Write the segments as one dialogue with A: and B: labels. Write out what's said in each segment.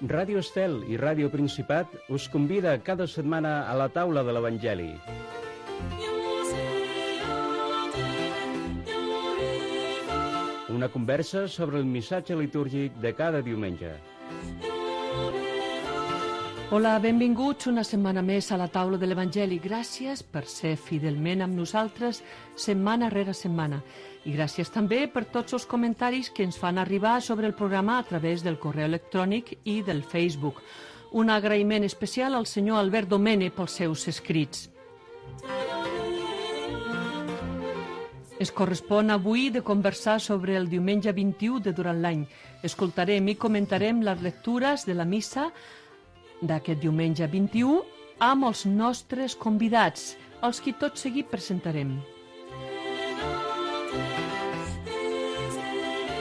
A: Ràdio Estel i Ràdio Principat us convida cada setmana a la taula de l'Evangeli. Una conversa sobre el missatge litúrgic de cada diumenge.
B: Hola, benvinguts una setmana més a la taula de l'Evangeli. Gràcies per ser fidelment amb nosaltres setmana rere setmana. I gràcies també per tots els comentaris que ens fan arribar sobre el programa a través del correu electrònic i del Facebook. Un agraïment especial al senyor Albert Domene pels seus escrits. Es correspon avui de conversar sobre el diumenge 21 de durant l'any. Escoltarem i comentarem les lectures de la missa d'aquest diumenge 21 amb els nostres convidats, els que tot seguit presentarem.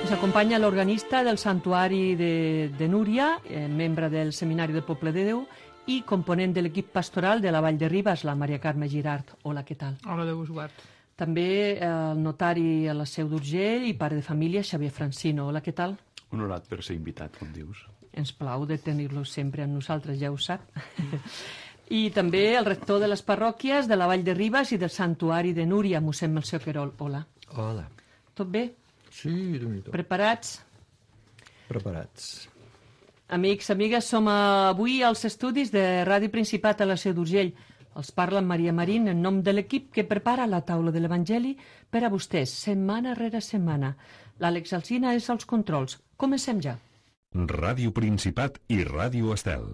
B: Ens acompanya l'organista del Santuari de Núria, membre del Seminari del Poble de Déu i component de l'equip pastoral de la Vall de Ribes, la Maria Carme Girart. Hola, què tal?
C: Hola, Déu us guard.
B: També el notari a la Seu d'Urgell i pare de família, Xavier Francino. Hola, què tal?
D: Honorat per ser invitat, com dius.
B: Ens plau de tenir-lo sempre amb nosaltres, ja ho sap. I també el rector de les parròquies de la Vall de Ribes i del Santuari de Núria, mossèn Melcior Querol. Hola.
E: Hola.
B: Tot bé?
E: Sí, Déu-n'hi-do.
B: Preparats?
E: Preparats.
B: Amics, amigues, som avui als estudis de Ràdio Principat a la Seu d'Urgell. Els parla Maria Marín en nom de l'equip que prepara la taula de l'Evangeli per a vostès, setmana rere setmana. L'Àlex Alsina és als controls. Comencem ja.
F: Ràdio Principat i Ràdio Estel.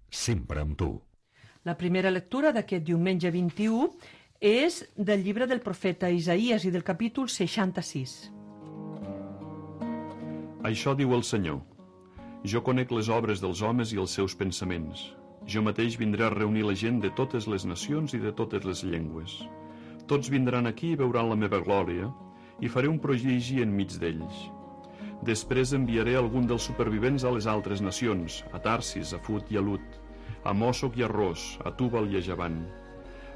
F: Sempre amb tu.
B: La primera lectura d'aquest diumenge 21 és del llibre del profeta Isaïes i del capítol 66.
D: Això diu el Senyor. Jo conec les obres dels homes i els seus pensaments. Jo mateix vindré a reunir la gent de totes les nacions i de totes les llengües. Tots vindran aquí i veuran la meva glòria i faré un prodigi enmig d'ells. Després enviaré algun dels supervivents a les altres nacions, a Tarsis, a Fut i a Lut, a Mòsoc i a Ros, a Túbal i a Javant,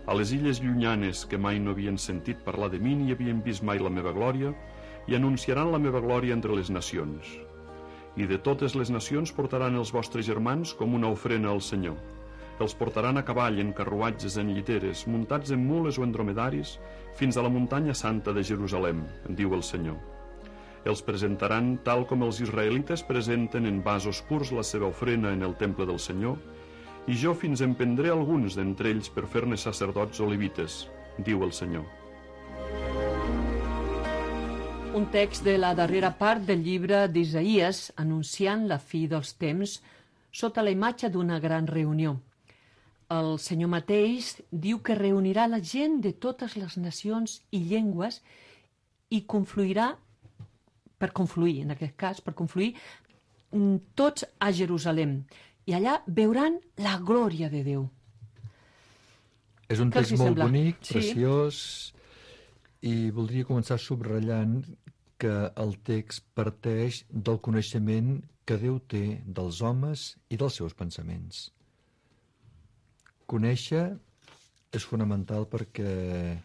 D: a les illes llunyanes que mai no havien sentit parlar de mi ni havien vist mai la meva glòria, i anunciaran la meva glòria entre les nacions. I de totes les nacions portaran els vostres germans com una ofrena al Senyor. Els portaran a cavall, en carruatges, en lliteres, muntats en mules o en dromedaris, fins a la muntanya santa de Jerusalem, diu el Senyor. Els presentaran tal com els israelites presenten en vasos purs la seva ofrena en el temple del Senyor, i jo fins en prendré alguns d'entre ells per fer-ne sacerdots o levites, diu el Senyor.
B: Un text de la darrera part del llibre d'Isaïes anunciant la fi dels temps sota la imatge d'una gran reunió. El Senyor mateix diu que reunirà la gent de totes les nacions i llengües i confluirà en aquest cas, tots a Jerusalem. I allà veuran la glòria de Déu.
E: És un text molt bonic,
B: Sí.
E: preciós, i voldria començar subratllant que el text parteix del coneixement que Déu té dels homes i dels seus pensaments. Conèixer és fonamental perquè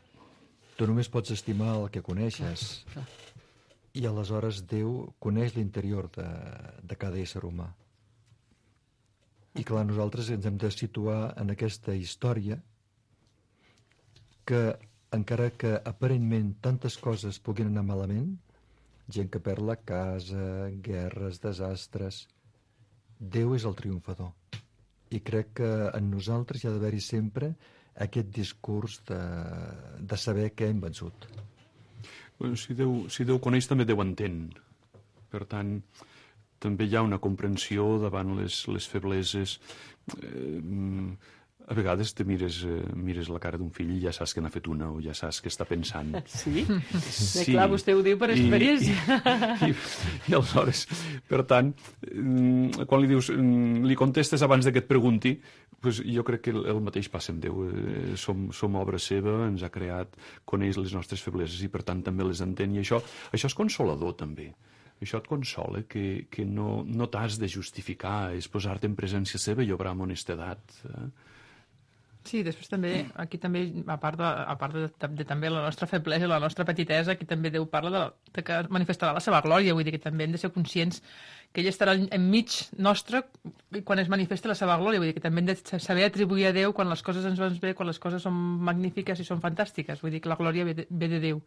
E: tu només pots estimar el que coneixes.
B: Clar.
E: I aleshores Déu coneix l'interior de cada ésser humà. I clar, nosaltres ens hem de situar en aquesta història que, encara que aparentment tantes coses puguin anar malament, gent que perd la casa, guerres, desastres, Déu és el triomfador. I crec que en nosaltres hi ha d'haver-hi sempre aquest discurs de saber què hem vençut.
D: Si Déu coneix, també Déu entén. Per tant, també hi ha una comprensió davant les febleses. A vegades te mires la cara d'un fill i ja saps que n'ha fet una o ja saps què està pensant.
B: Sí? Clar, vostè ho diu per experiència.
D: I aleshores, per tant, quan li dius, li contestes abans que et pregunti, doncs jo crec que el mateix passa amb Déu. Som obra seva, ens ha creat, coneix les nostres febleses i per tant també les entén. I això és consolador també. Això et consola, que no t'has de justificar, és posar-te en presència seva i obrar amb honestedat.
C: Sí, després també, aquí també, a part de també la nostra feblesa i la nostra petitesa, aquí també Déu parla de que manifestarà la seva glòria, vull dir que també hem de ser conscients que ell estarà enmig nostre quan es manifesta la seva glòria, vull dir que també hem de saber atribuir a Déu quan les coses ens van bé, quan les coses són magnífiques i són fantàstiques, vull dir que la glòria ve de Déu.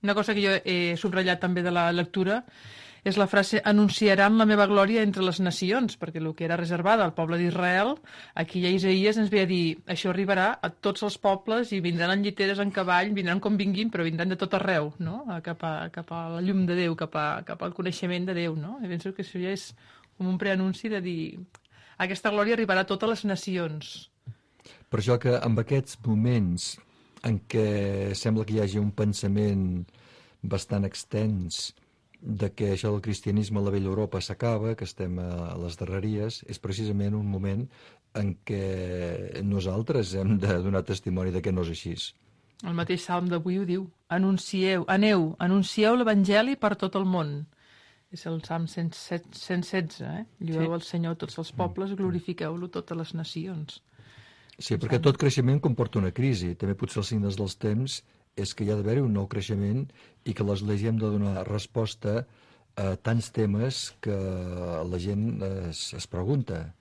C: Una cosa que jo he subratllat també de la lectura és la frase anunciaran la meva glòria entre les nacions, perquè el que era reservada al poble d'Israel, aquí a Isaïes ens ve a dir això arribarà a tots els pobles i vindran en lliteres, en cavall, vindran com vinguin, però vindran de tot arreu, no? Cap a la llum de Déu, cap al coneixement de Déu, no? I penso que això ja és com un preanunci de dir aquesta glòria arribarà a totes les nacions.
E: Per això que en aquests moments en què sembla que hi hagi un pensament bastant extens de que això del cristianisme a la vella Europa s'acaba, que estem a les darreries, és precisament un moment en què nosaltres hem de donar testimoni de que no és així.
C: El mateix salm d'avui ho diu. Anuncieu l'Evangeli per tot el món. És el salm 116, Llueu al Senyor tots els pobles, glorifiqueu-lo totes les nacions.
E: Sí, perquè tot creixement comporta una crisi. També potser els signes dels temps és que hi ha d'haver un nou creixement i que l'Església hem de donar resposta a tants temes que la gent es pregunta.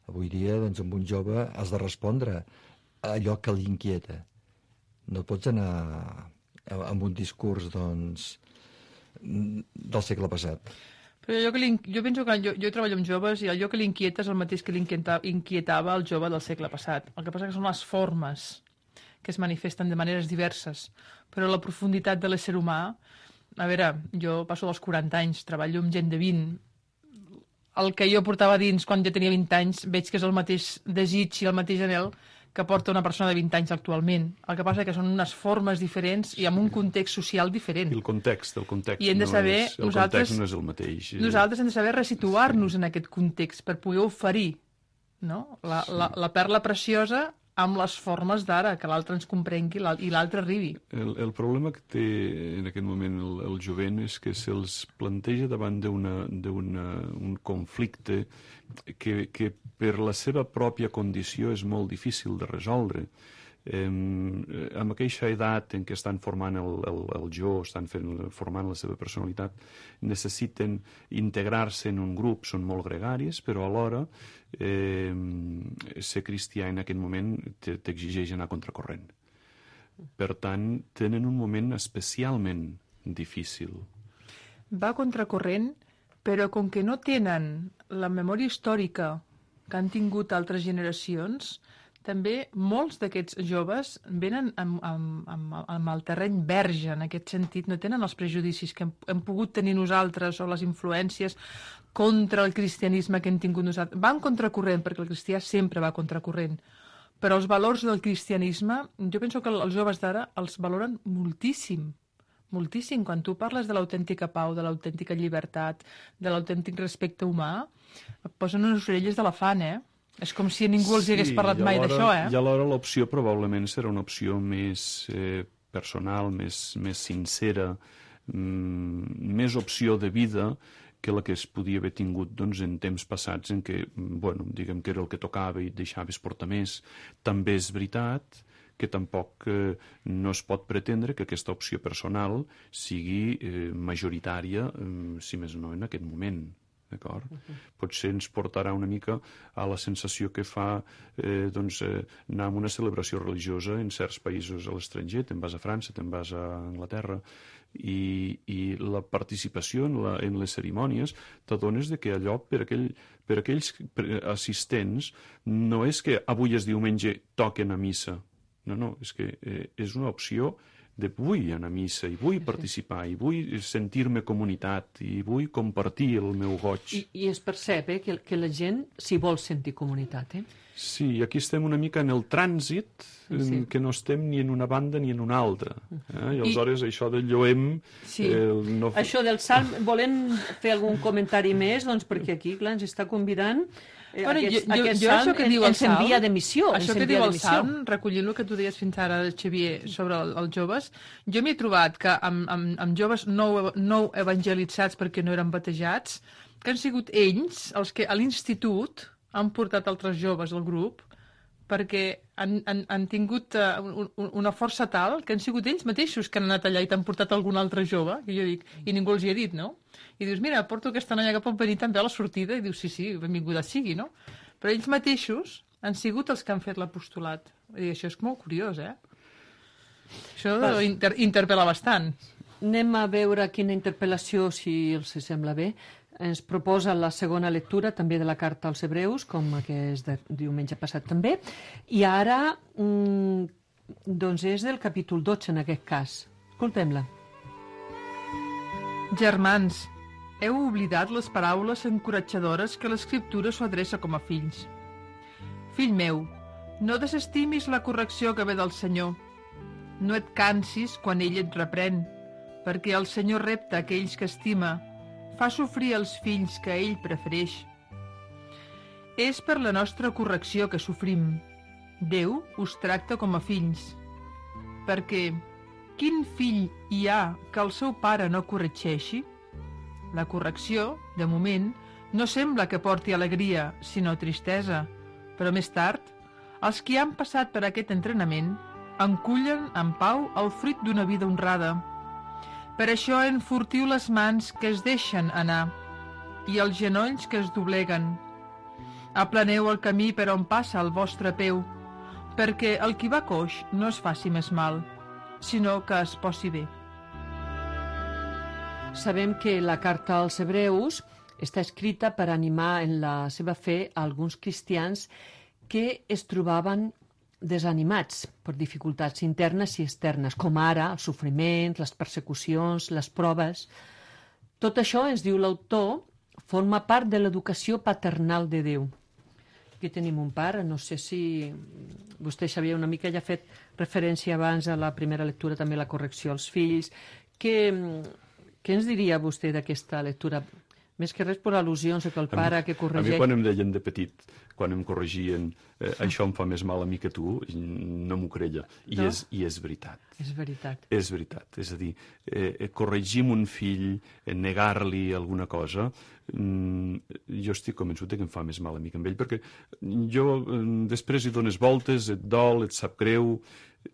E: Avui dia, doncs, amb un jove has de respondre a allò que l'inquieta. No pots anar amb un discurs, doncs, del segle passat.
C: Però jo penso que jo treballo amb joves i allò que l'inquieta és el mateix que l'inquietava el jove del segle passat. El que passa que són les formes que es manifesten de maneres diverses, però la profunditat de l'ésser humà, a veure, jo passo dels 40 anys, treballo amb gent de 20, el que jo portava dins quan jo tenia 20 anys veig que és el mateix desig i el mateix anhel que porta una persona de 20 anys actualment. El que passa que són unes formes diferents i amb un context social diferent.
D: I el context
C: I hem de saber,
D: el context no és el mateix.
C: Nosaltres hem de saber resituar-nos en aquest context per poder oferir, no? la perla preciosa amb les formes d'ara, que l'altre ens comprengui i l'altre arribi.
D: El problema que té en aquest moment el jovent és que se'ls planteja davant d'un conflicte que per la seva pròpia condició és molt difícil de resoldre. Amb aquella edat en què estan formant el jo, estan formant la seva personalitat, necessiten integrar-se en un grup, són molt gregaris, però alhora ser cristià en aquest moment t'exigeix anar contracorrent. Per tant, tenen un moment especialment difícil.
C: Va contracorrent, però com que no tenen la memòria històrica que han tingut altres generacions, també molts d'aquests joves venen amb el terreny verge, en aquest sentit, no tenen els prejudicis que hem pogut tenir nosaltres o les influències contra el cristianisme que hem tingut nosaltres. Van contracorrent, perquè el cristià sempre va contracorrent, però els valors del cristianisme, jo penso que els joves d'ara els valoren moltíssim, moltíssim. Quan tu parles de l'autèntica pau, de l'autèntica llibertat, de l'autèntic respecte humà, et posen unes orelles d'elefant, És com si ningú els hagués parlat mai d'això,
D: I alhora l'opció probablement serà una opció més personal, més sincera, més opció de vida que la que es podia haver tingut en temps passats en què, diguem que era el que tocava i et deixaves portar més. També és veritat que tampoc no es pot pretendre que aquesta opció personal sigui majoritària, si més no en aquest moment. D'acord? Potser ens portarà una mica a la sensació que fa anar a una celebració religiosa en certs països a l'estranger, te'n vas a França, te'n vas a Anglaterra, i la participació en les cerimònies t'adones que allò per aquells assistents no és que avui és diumenge toquen a missa, no, és que és una opció de vull anar a missa, i vull participar, i vull sentir-me comunitat, i vull compartir el meu goig.
B: I es percep que la gent s'hi vol sentir comunitat,
D: Sí, aquí estem una mica en el trànsit, que no estem ni en una banda ni en una altra. I aleshores això del lloem...
B: Sí, això del salm, volem fer algun comentari més, doncs perquè aquí, clar, ens està convidant... Aquest salm ens envia de missió.
C: Això que diu el salm, recollint el que tu deies fins ara, Xavier, sobre els joves, jo m'he trobat que amb joves no evangelitzats perquè no eren batejats, que han sigut ells els que a l'institut han portat altres joves al grup perquè han tingut una força tal que han sigut ells mateixos que han anat allà i t'han portat algun altre jove, que jo dic, i ningú els hi ha dit, no? I dius, mira, porto aquesta noia que pot venir també a la sortida, i dius, sí, benvinguda sigui, no? Però ells mateixos han sigut els que han fet l'apostolat. I això és molt curiós, Això interpel·la bastant.
B: Anem a veure quina interpel·lació, si els sembla bé, ens proposa la segona lectura també de la carta als Hebreus, com aquest de diumenge passat també, i ara doncs és del capítol 12 en aquest cas. Escoltem-la.
C: Germans, heu oblidat les paraules encoratjadores que l'Escriptura s'ho adreça com a fills. Fill meu, no desestimis la correcció que ve del Senyor. No et cansis quan ell et reprèn, perquè el Senyor repta aquells que estima, fa sofrir els fills que ell prefereix. És per la nostra correcció que sofrim. Déu us tracta com a fills. Perquè quin fill hi ha que el seu pare no corregeixi? La correcció, de moment, no sembla que porti alegria, sinó tristesa, però més tard, els que han passat per aquest entrenament encullen en pau el fruit d'una vida honrada. Per això enfortiu les mans que es deixen anar i els genolls que es dobleguen. Aplaneu el camí per on passa el vostre peu, perquè el qui va coix no es faci més mal, sinó que es posi bé.
B: Sabem que la carta als Hebreus està escrita per animar en la seva fe a alguns cristians que es trobaven desanimats per dificultats internes i externes, com ara els sofriments, les persecucions, les proves. Tot això, ens diu l'autor, forma part de l'educació paternal de Déu. Aquí tenim un pare, no sé si vostè sabia una mica, ja ha fet referència abans a la primera lectura, també la correcció als fills. Què ens diria vostè d'aquesta lectura? Més que res per al·lusions que el pare que corregeix...
D: A mi quan em deien de petit, quan em corregien, això em fa més mal a mi que tu, no m'ho creia. I és veritat.
B: És veritat.
D: És veritat. És a dir, corregim un fill, negar-li alguna cosa, jo estic convençut que em fa més mal a mi que a ell, perquè després hi dones voltes, et dol, et sap greu,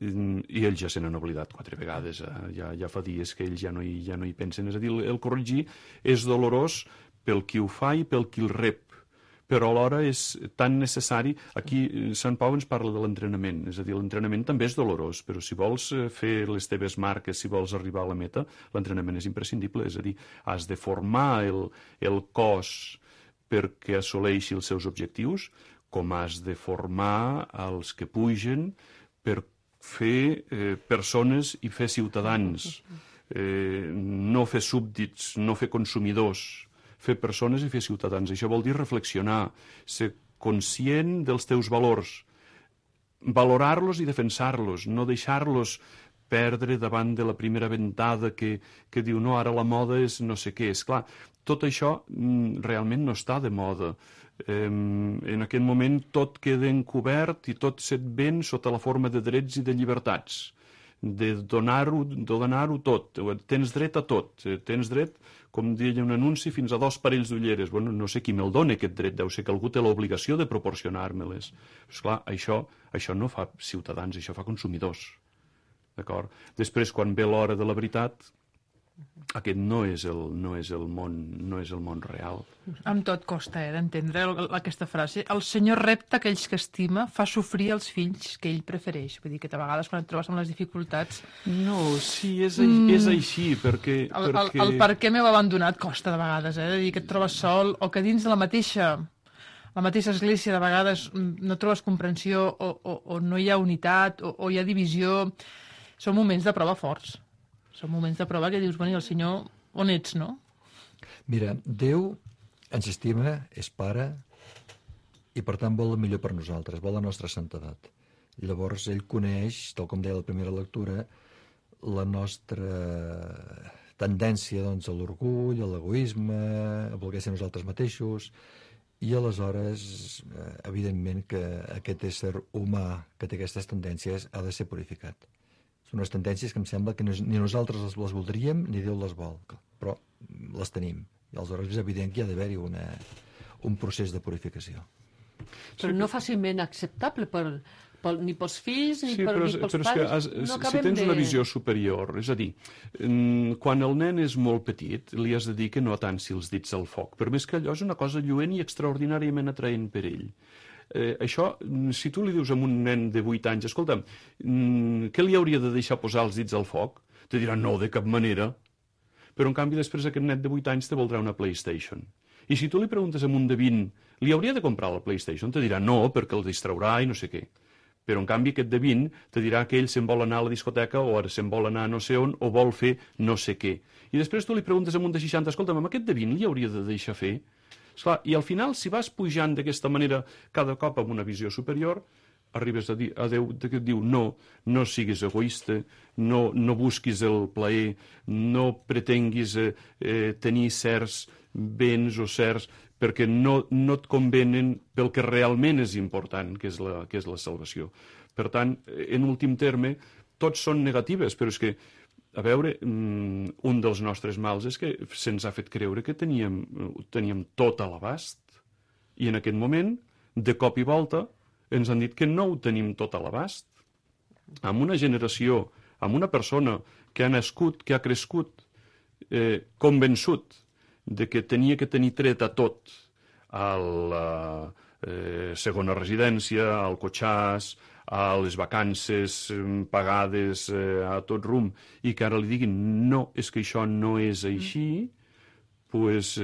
D: i ells ja se n'han oblidat 4 vegades, ja fa dies que ells ja no hi pensen. És a dir, el corregir és dolorós pel qui ho fa i pel qui el rep, però alhora és tan necessari. Aquí Sant Pau ens parla de l'entrenament, és a dir, l'entrenament també és dolorós, però si vols fer les teves marques, si vols arribar a la meta, l'entrenament és imprescindible, és a dir, has de formar el cos perquè assoleixi els seus objectius, com has de formar els que pugen per fer persones i fer ciutadans, no fer súbdits, no fer consumidors, fer persones i fer ciutadans. Això vol dir reflexionar, ser conscient dels teus valors, valorar-los i defensar-los, no deixar-los perdre davant de la primera ventada que diu no, ara la moda és no sé què. Esclar, tot això realment no està de moda. En aquest moment tot queda encobert i tot se't ven sota la forma de drets i de llibertats, de donar-ho tot. Tens dret a tot, tens dret, com deia un anunci, fins a 2 parells d'ulleres. Bueno, no sé qui me'l dona aquest dret, deu ser que algú té l'obligació de proporcionar-me-les. Esclar, això no fa ciutadans, això fa consumidors. D'acord? Després, quan ve l'hora de la veritat, aquest no és el món real.
C: Amb tot costa d'entendre aquesta frase. El Senyor repta aquells que estima, fa sofrir els fills que ell prefereix. Vull dir que a vegades quan et trobes amb les dificultats...
D: No, sí, és així, perquè...
C: El per què m'heu abandonat costa de vegades, de dir que et trobes sol, o que dins de la mateixa església de vegades no trobes comprensió, o no hi ha unitat, o hi ha divisió. Són moments de prova forts. Són moments de prova que dius, bueno, i el Senyor, on ets, no?
E: Mira, Déu ens estima, és pare, i per tant vol el millor per nosaltres, vol la nostra santedat. Llavors ell coneix, tal com deia la primera lectura, la nostra tendència doncs, a l'orgull, a l'egoisme, a voler ser nosaltres mateixos, i aleshores, evidentment, que aquest ésser humà que té aquestes tendències ha de ser purificat. Són unes tendències que em sembla que ni nosaltres les voldríem ni Déu les vol, però les tenim. I aleshores és evident que hi ha d'haver-hi un procés de purificació.
B: Però no fàcilment acceptable ni pels fills ni,
D: Sí,
B: ni pels pares.
D: Si tens una visió superior, és a dir, quan el nen és molt petit, li has de dir que no atanci els dits al foc, per més que allò és una cosa lluent i extraordinàriament atraent per ell. Això, si tu li dius a un nen de 8 anys, escolta'm, què li hauria de deixar posar els dits al foc? Te dirà, no, de cap manera. Però, en canvi, després aquest net de 8 anys te voldrà una PlayStation. I si tu li preguntes a un de 20, li hauria de comprar la PlayStation? Te dirà, no, perquè el distraurà i no sé què. Però, en canvi, aquest de 20 te dirà que ell se'n vol anar a la discoteca o ara se'n vol anar a no sé on o vol fer no sé què. I després tu li preguntes a un de 60, escolta'm, amb aquest de 20 li hauria de deixar fer? Esclar, i al final, si vas pujant d'aquesta manera cada cop amb una visió superior, arribes a Déu que et diu no siguis egoista, no busquis el plaer, no pretenguis tenir certs béns o certs perquè no et convenen pel que realment és important, que és la salvació. Per tant, en últim terme, tots són negatives, però és que, a veure, un dels nostres mals és que se'ns ha fet creure que teníem tot a l'abast. I en aquest moment, de cop i volta, ens han dit que no ho tenim tot a l'abast. Amb una generació, amb una persona que ha nascut, que ha crescut, convençut de que tenia que tenir tret a tot, a la segona residència, al cotxàs, a les vacances pagades a tot rum, i que ara li diguin no, és que això no és així, pues,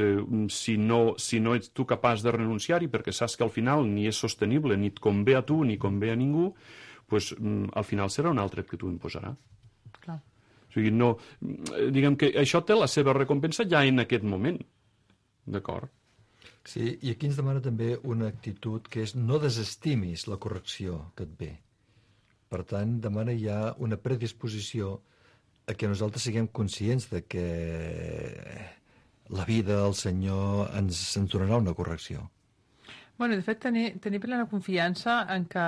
D: si no ets tu capaç de renunciar-hi perquè saps que al final ni és sostenible, ni et convé a tu ni convé a ningú, pues, al final serà un altre que tu imposarà.
C: Clar.
D: O sigui, no, diguem que això té la seva recompensa ja en aquest moment. D'acord?
E: Sí, i aquí ens demana també una actitud que és no desestimis la correcció que et ve. Per tant, demana ja una predisposició a que nosaltres siguem conscients de que la vida del Senyor ens donarà una correcció.
C: Bueno, de fet, tenir plena confiança en que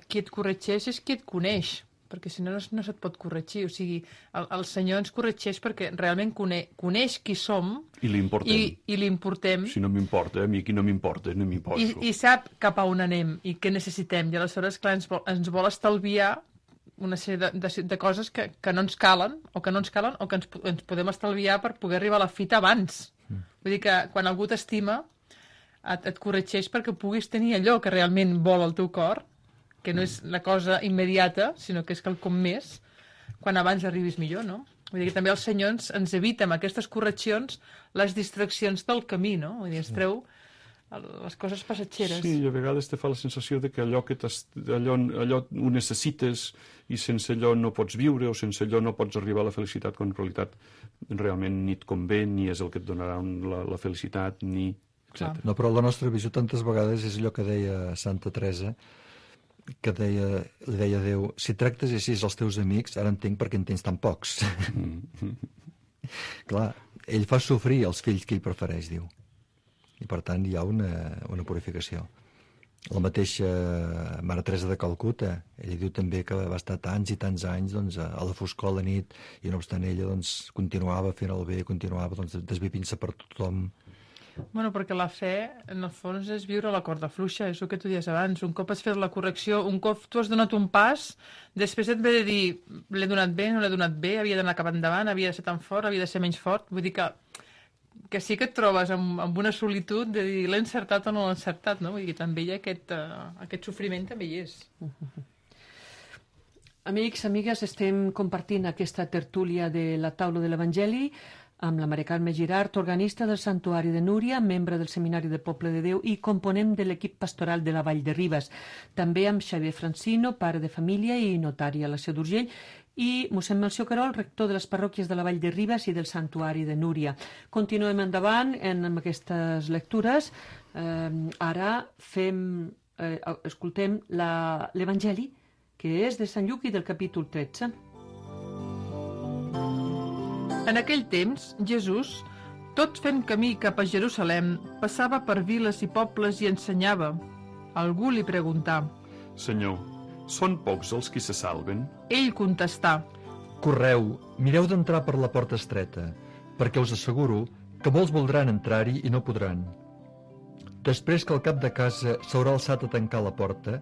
C: qui et corregeix és qui et coneix, perquè si no, no se't pot corregir. O sigui, el Senyor ens corregeix perquè realment coneix qui som
D: i l'importem.
C: I l'importem.
D: Si no m'importa, a mi qui no m'importa, no m'imposo.
C: I sap cap a on anem i què necessitem. I aleshores, clar, ens vol estalviar una sèrie de coses que no ens calen o que ens podem estalviar per poder arribar a la fita abans. Vull dir que quan algú t'estima et corregeix perquè puguis tenir allò que realment vol el teu cor, que no és la cosa immediata, sinó que és quelcom més, quan abans arribis millor, no? Vull dir que també el Senyor ens evita amb aquestes correccions les distraccions del camí, no? Vull dir, ens treu les coses passatgeres.
D: Sí, i a vegades te fa la sensació de que allò ho necessites i sense allò no pots viure o sense allò no pots arribar a la felicitat, quan en realitat realment ni et convé, ni és el que et donarà la felicitat, ni... etc.
E: No, però la nostra visió tantes vegades és allò que deia Santa Teresa, que li deia a Déu, si tractes així els teus amics, ara entenc per què en tens tan pocs. Clar, ell fa sofrir els fills que ell prefereix, diu. I per tant hi ha una purificació. La mateixa Mare Teresa de Calcuta, ella diu també que va estar tants i tants anys a la foscor a la nit, i no obstant ella continuava fent el bé, continuava desvivint-se per tothom.
C: Bueno, perquè la fe, en el fons, és viure la corda fluixa, és el que tu dius abans. Un cop has fet la correcció, un cop tu has donat un pas, després et ve de dir, l'he donat bé, no l'he donat bé, havia d'anar cap endavant, havia de ser tan fort, havia de ser menys fort. Vull dir que sí que et trobes amb una solitud de dir l'he encertat o no l'he encertat, no? Vull dir que també hi ha aquest sofriment, també hi és.
B: Amics, amigues, estem compartint aquesta tertúlia de la taula de l'Evangeli amb la Mare Carme Girart, organista del Santuari de Núria, membre del Seminari de Poble de Déu i component de l'equip pastoral de la Vall de Ribes. També amb Xavier Francino, pare de família i notari a la Seu d'Urgell, i mossèn Melcior Querol, rector de les parròquies de la Vall de Ribes i del Santuari de Núria. Continuem endavant amb aquestes lectures. Ara escoltem l'Evangeli, que és de Sant Lluc i del capítol 13.
C: En aquell temps, Jesús, tot fent camí cap a Jerusalem, passava per viles i pobles i ensenyava. Algú li preguntà:
D: Senyor, són pocs els qui se salven?
C: Ell contestà:
E: Correu, mireu d'entrar per la porta estreta, perquè us asseguro que molts voldran entrar-hi i no podran. Després que el cap de casa s'haurà alçat a tancar la porta,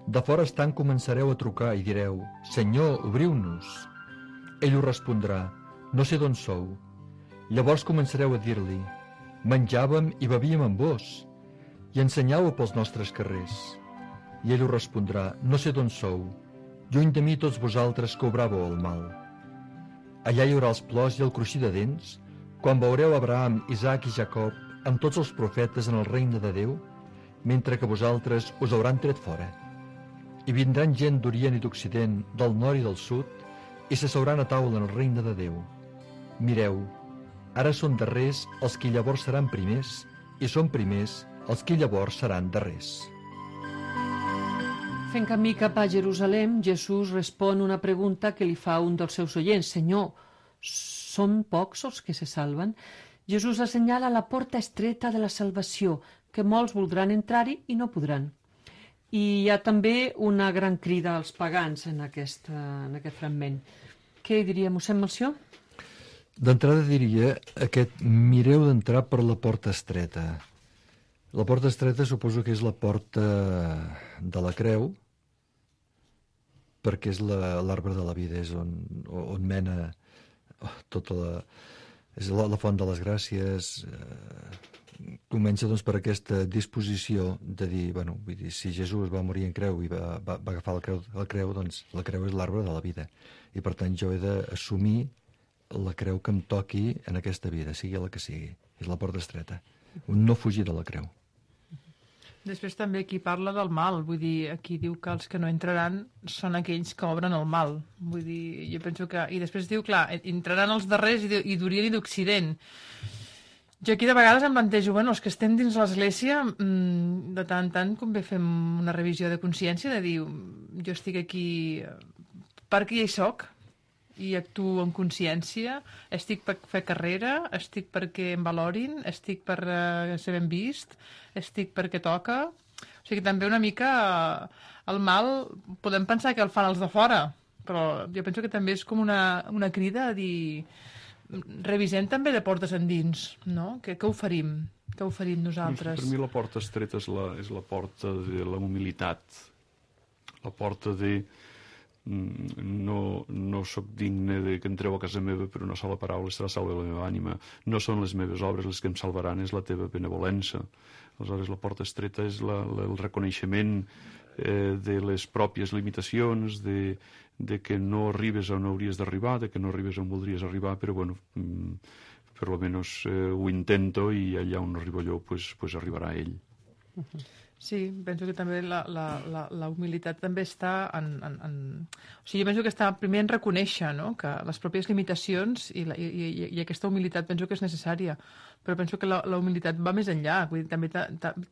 E: de fora estant començareu a trucar i direu: «Senyor, obriu-nos». Ell us respondrà: «No sé d'on sou». Llavors començareu a dir-li: «Menjàvem i bevíem amb vos, i ensenyàveu pels nostres carrers». I ell us respondrà: «No sé d'on sou, lluny de mi tots vosaltres que obràveu el mal». Allà hi haurà els plors i el cruixir de dents, quan veureu Abraham, Isaac i Jacob amb tots els profetes en el regne de Déu, mentre que vosaltres us hauran tret fora. I vindran gent d'Orient i d'Occident, del nord i del sud, i s'asseuran a taula en el regne de Déu. Mireu, ara són darrers els que llavors seran primers, i són primers els que llavors seran darrers.
B: Fent camí cap a Jerusalem, Jesús respon una pregunta que li fa un dels seus oients. «Senyor, són pocs els que se salven?» Jesús assenyala la porta estreta de la salvació, que molts voldran entrar-hi i no podran. I hi ha també una gran crida als pagans en aquest fragment. Què hi diria, mossèn Melcior?
E: D'entrada diria mireu d'entrar per la porta estreta. La porta estreta suposo que és la porta de la creu, perquè és l'arbre de la vida, és on mena tota la... És la font de les gràcies. Comença doncs per aquesta disposició de dir, bueno, vull dir, si Jesús va morir en creu i va agafar la creu, doncs la creu és l'arbre de la vida. I per tant jo he d'assumir la creu que em toqui en aquesta vida, sigui la que sigui. És la porta estreta. No fugir de la creu.
C: Després també aquí parla del mal, vull dir, aquí diu que els que no entraran són aquells que obren el mal. Vull dir, jo penso que... I després diu, clar, entraran els darrers i d'Orient i d'Occident. Jo aquí de vegades em plantejo, bueno, els que estem dins l'Església, de tant en tant convé fem una revisió de consciència, de dir, jo estic aquí perquè ja hi soc, i actuo en consciència, estic per fer carrera, estic perquè em valorin, estic per ser ben vist, estic perquè toca. O sigui, també una mica el mal podem pensar que el fan els de fora, però jo penso que també és com una crida a dir revisem també de portes endins, no? Què oferim? Què oferim nosaltres?
D: Per mi la porta estreta és la porta de la humilitat, la porta de no sóc digne de que entreu a casa meva, però una sola paraula serà salva la meva ànima. No són les meves obres les que em salvaran, és la teva benevolença. Aleshores, la porta estreta és el reconeixement de les pròpies limitacions, de que no arribes on hauries d'arribar, de que no arribes on voldries arribar, però bueno, per lo menos ho intento i allà on arribo jo, pues arribarà ell.
C: Sí, penso que també la humilitat també està O sigui, jo penso que està primer en reconèixer, no?, que les pròpies limitacions i aquesta humilitat penso que és necessària, però penso que la humilitat va més enllà. Vull dir,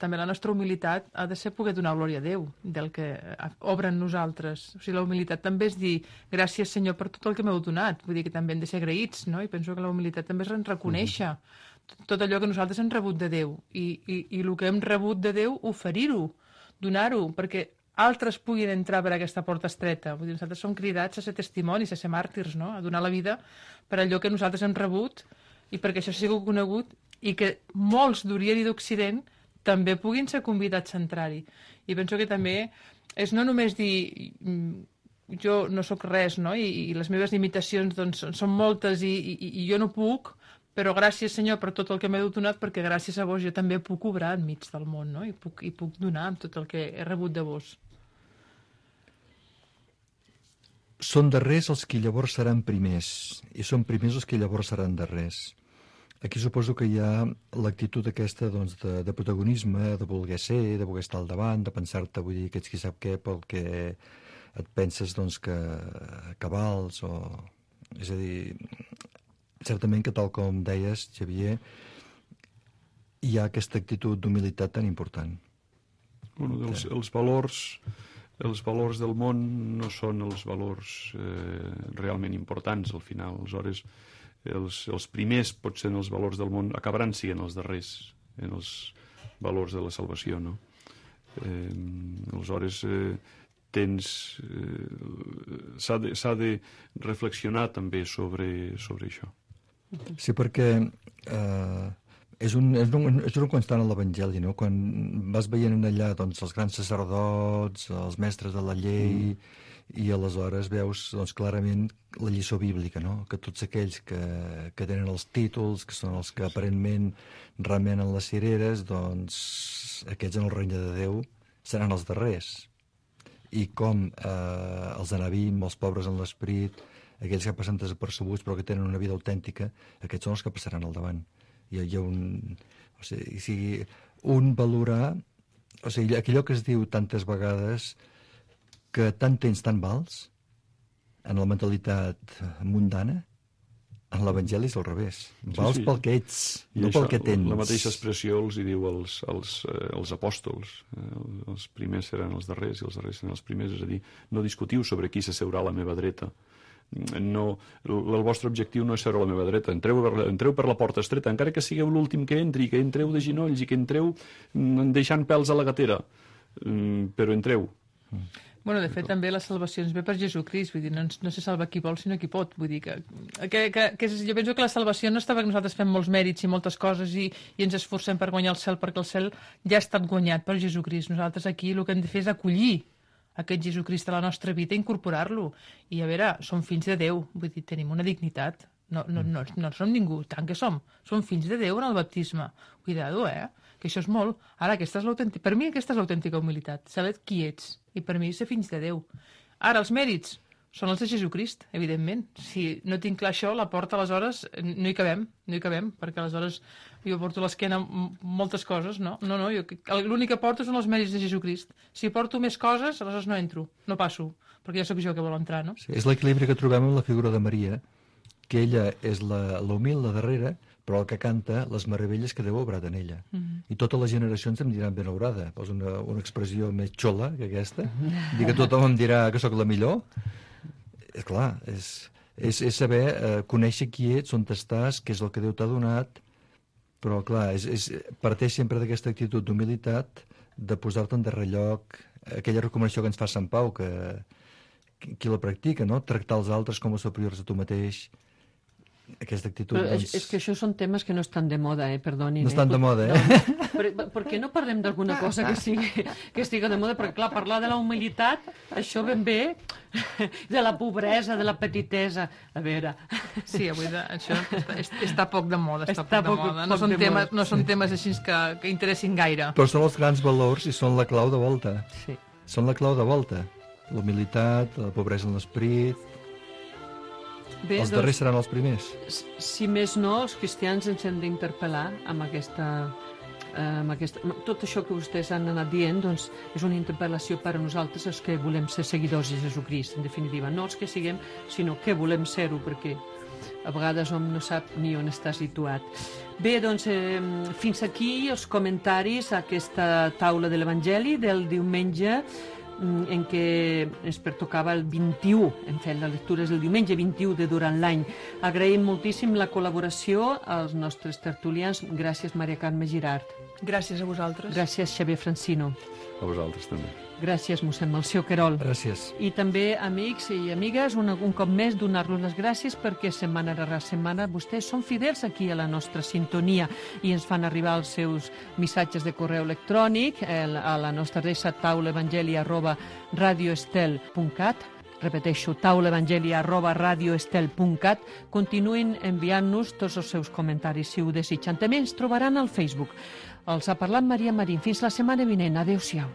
C: també la nostra humilitat ha de ser poder donar glòria a Déu del que obre en nosaltres. O sigui, la humilitat també és dir gràcies, Senyor, per tot el que m'heu donat. Vull dir que també hem de ser agraïts, no? I penso que la humilitat també és reconèixer tot allò que nosaltres hem rebut de Déu i el que hem rebut de Déu, oferir-ho, donar-ho, perquè altres puguin entrar per aquesta porta estreta. Vull dir, nosaltres som cridats a ser testimonis, a ser màrtirs, no?, a donar la vida per allò que nosaltres hem rebut i perquè això sigui conegut i que molts d'Orient i d'Occident també puguin ser convidats a entrar-hi. I penso que també és no només dir jo no sóc res, no?, i les meves limitacions doncs, són moltes i jo no puc, però gràcies, Senyor, per tot el que m'heu donat, perquè gràcies a vos jo també puc obrar enmig del món, no?, i puc donar amb tot el que he rebut de vos.
E: Són darrers els que llavors seran primers, i són primers els que llavors seran darrers. Aquí suposo que hi ha l'actitud aquesta doncs, de protagonisme, de voler ser, de voler estar al davant, de pensar-te, vull dir, que ets qui sap què, pel que et penses doncs, que vals, o... És a dir, certament que, tal com deies, Xavier, hi ha aquesta actitud d'humilitat tan important.
D: Bueno, els valors del món no són els valors realment importants, al final. Aleshores, els primers, potser, en els valors del món, acabaran sent els darrers en els valors de la salvació, no? Aleshores, s'ha de reflexionar també sobre això.
E: Sí, perquè És un constant a l'Evangeli, no? Quan vas veient allà doncs, els grans sacerdots, els mestres de la llei, i aleshores veus doncs, clarament la lliçó bíblica, no? Que tots aquells que tenen els títols, que són els que aparentment remenen les cireres, doncs aquests en el regne de Déu seran els darrers. I com els anabim, els pobres en l'esperit, aquells que passen desapercebuts però que tenen una vida autèntica, aquests són els que passaran al davant. Hi ha un valorar, o sigui, allò que es diu tantes vegades que tant tens tant vals en la mentalitat mundana, en l'Evangeli és al revés. Vals pel que ets, no pel que tens.
D: La mateixa expressió els hi diu als apòstols. Els primers seran els darrers i els darrers seran els primers. És a dir, no discutiu sobre qui s'asseurà a la meva dreta. No, el vostre objectiu no és seure a la meva dreta. Entreu per la porta estreta, encara que sigueu l'últim que entri, que entreu de ginolls i que entreu deixant pèls a la gatera. Però entreu.
C: Bueno, de fet, també la salvació ens ve per Jesucrist, vull dir, no se salva qui vol, sinó qui pot. Vull dir jo penso que la salvació no està perquè nosaltres fem molts mèrits i moltes coses i ens esforcem per guanyar el cel, perquè el cel ja ha estat guanyat per Jesucrist. Nosaltres aquí el que hem de fer és acollir aquest Jesucrist a la nostra vida i incorporar-lo. I a veure, som fills de Déu, vull dir, tenim una dignitat. No som ningú, tant que som fills de Déu en el baptisme. Cuidado, que això és molt. Ara, per mi aquesta és l'autèntica humilitat, saber qui ets, i per mi ser fills de Déu. Ara, els mèrits són els de Jesucrist, evidentment. Si no tinc clar això, la porta, aleshores, no hi cabem, perquè aleshores jo porto a l'esquena moltes coses, no? L'únic que porto són els mèrits de Jesucrist. Si porto més coses, aleshores no entro, no passo, perquè ja sóc jo que vol entrar, no?
E: Sí, és l'equilibri que trobem en la figura de Maria, que ella és la humil, la darrera, però el que canta les meravelles que Déu ha obrat en ella. I totes les generacions em diran benaurada. Posa una expressió més xola que aquesta. Dir que tothom em dirà que sóc la millor. Clar, és saber conèixer qui ets, on estàs, què és el que Déu t'ha donat, però clar, parteix sempre d'aquesta actitud d'humilitat, de posar-te en darrer lloc, aquella recomanació que ens fa Sant Pau, que qui la practica, no? Tractar els altres com a superiors a tu mateix. Aquesta actitud...
B: Però és que això són temes que no estan de moda, perdonin.
E: No estan de moda,
B: Per què no parlem d'alguna cosa que estigui de moda? Perquè, clar, parlar de la humilitat, això ben bé, de la pobresa, de la petitesa... A veure...
C: Sí, avui això està poc de moda, No són temes així que interessin gaire.
E: Però són els grans valors i són la clau de volta.
B: Sí.
E: Són la clau de volta. La humilitat, la pobresa en l'esperit... Bé, els darrers seran els primers.
B: Si més no, els cristians ens hem d'interpel·lar amb tot això que vostès han anat dient, doncs és una interpel·lació per a nosaltres els que volem ser seguidors de Jesucrist, en definitiva. No els que siguem, sinó que volem ser-ho, perquè a vegades hom no sap ni on està situat. Bé, doncs, fins aquí els comentaris a aquesta taula de l'Evangeli del diumenge, en què ens pertocava el 21, hem fet les lectures el diumenge 21 de durant l'any. Agraïm moltíssim la col·laboració als nostres tertulians. Gràcies, Maria Carme Girart.
C: Gràcies a vosaltres.
B: Gràcies, Xavier Francino.
D: A vosaltres també.
B: Gràcies, mossèn Melcior Querol.
E: Gràcies.
B: I també, amics i amigues, un cop més donar-los les gràcies perquè setmana rere setmana vostès són fidels aquí a la nostra sintonia i ens fan arribar els seus missatges de correu electrònic a la nostra adreça taulaevangeli@radioestel.cat. Repeteixo, taulaevangeli@radioestel.cat. Continuïn enviant-nos tots els seus comentaris si ho desitgen. També ens trobaran al Facebook. Els ha parlat Maria Marín. Fins la setmana vinent. Adéu-siau.